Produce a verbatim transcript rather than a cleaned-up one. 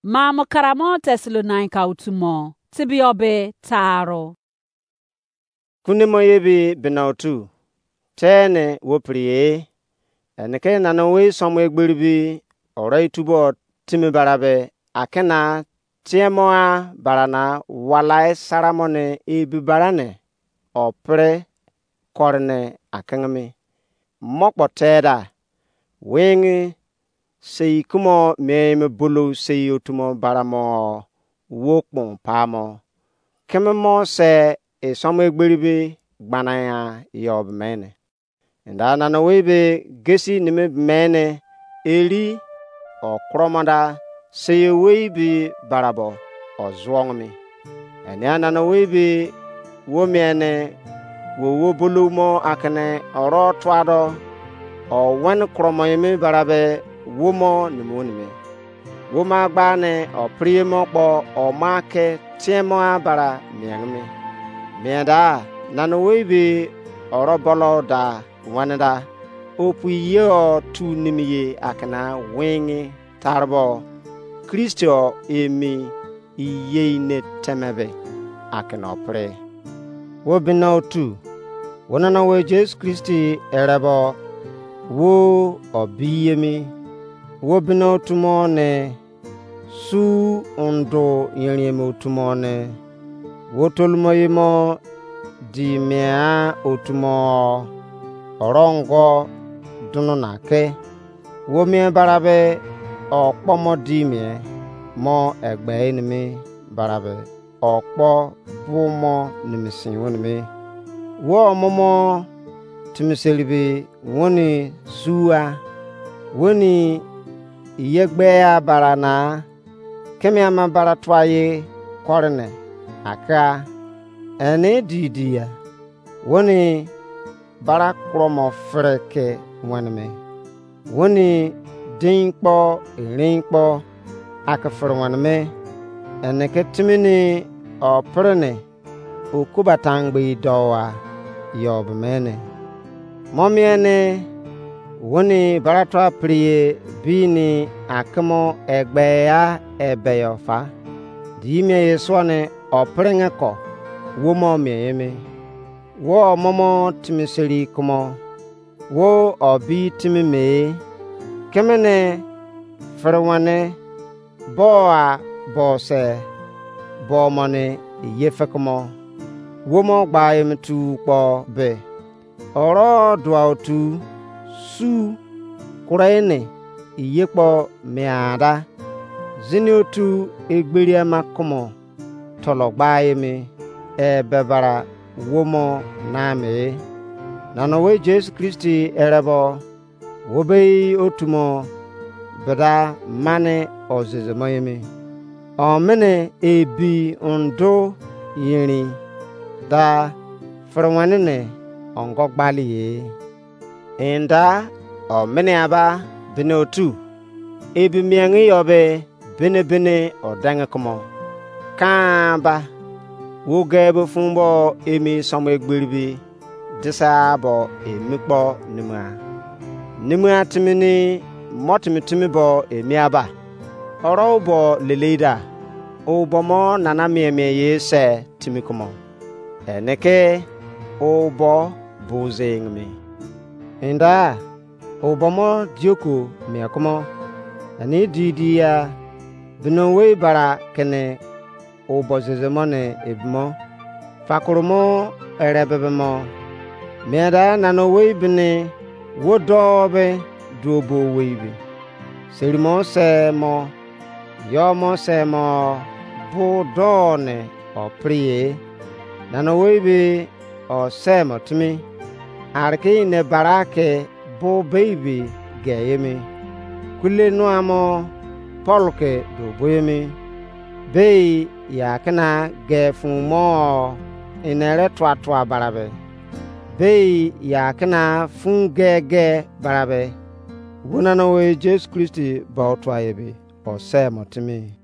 Maamo karamo Tesalonaika otu mo tebiyọ be taaro. Kunemo ye bi bena otu, tene wo priye, ene ke nana wei somo egberi bi oro itubo timi bara be akena tiemo a bara na walai sara mo ne ebi bara ne opre kore ne akengemi. Mo kpo teda, wingi sei kumo mien me bolou sei otumo bara mo wo kpon pa mo. Keme mo se isomo egberi be gbana ya yo be mene. Enda nana wei be gesi nimi mene eri okromo da sei wei be barabo ozuong mi. Enia nana wei be wo miene wo wo bolomo akene oro tuado o wen kromo yemi barabe wo mo nimi onimi. Wo ma gba ne o priye mo kpo o ma ke tiemo a bara mieng mi. Mienda nana wei be oro bolo da wane da opu ye o tu nimi ye akena wingi tarbo Kristo emi iyei ne temebe akena opre. Wo bina otu, wo nana wo Jesu Kristi erebo wo obiyemi, wo bina otu mo ne su undo yerin otu mo ne wo tolumo ye mo di mia otu mo orongo dunu na ke wo mien barabe okpo mo di mien mo egbe enimi barabe okpo bu mo nimisi wonimi. Wo omomo timiseri be woni sua woni iye gbe ya bara na keme ama bara tua ye kore ne aka ene di di ya woni bara kuro mo fere ke wene me. Woni dein kpo erein kpo ake fere wene me. Ene ke timi ni o pere ne okuba tangbe dou a yo be mene. Mo mien ne woni baratua priye bini akemo egbe ya ebe yo fa. Di mien ye suo ne o perenge ko wo mo mien ye me. Wo momo timiseri kumo wo obi timi me kemene fere wane bo a bo se bo mo ne ye fekumo wo mo gba emi tu kpo be oro dua otu su kure ne ye kpo miada zini otu egberi ama kumo tolo gba emi e bebara wo mo na me. Nana we Jesu Kristi erebo wo be otu mo beda mane ozizi mo emi. Omene ebi undo yerin da fere wene ne ongo gbali ye. Enda omene aba bene otu ebi miengi yo be bene bene odenge kumo kan ba wo ge be fun bo emi somo egberi be disa bo emi kpo nimua. Nimua timi ni mo timi timi bo emi aba oro bo leleida o bo mo nana mien mien ye se timi kumo ene ke o bo buzing mi. Enda o bo mo dioko mien kumo ene di di ya bino wei bara kene o bo zeze mo ne ebi mo fakoro mo ere bebe mo. Mieda nana owei bini wo doo be duo bo owei be seri mo se mo yo mo se mo bu doo ne o priye. Nana owei be o se mo timi ariki ne bara ke bu bei be ge emi kule nua mo Paul ke do bo emi. Bei ya kena ge fun mo ene re tua tua barabe bei ya kena fun ge ge barabe wo nana we Jesu Kristi ba otua ebe o se mo timi.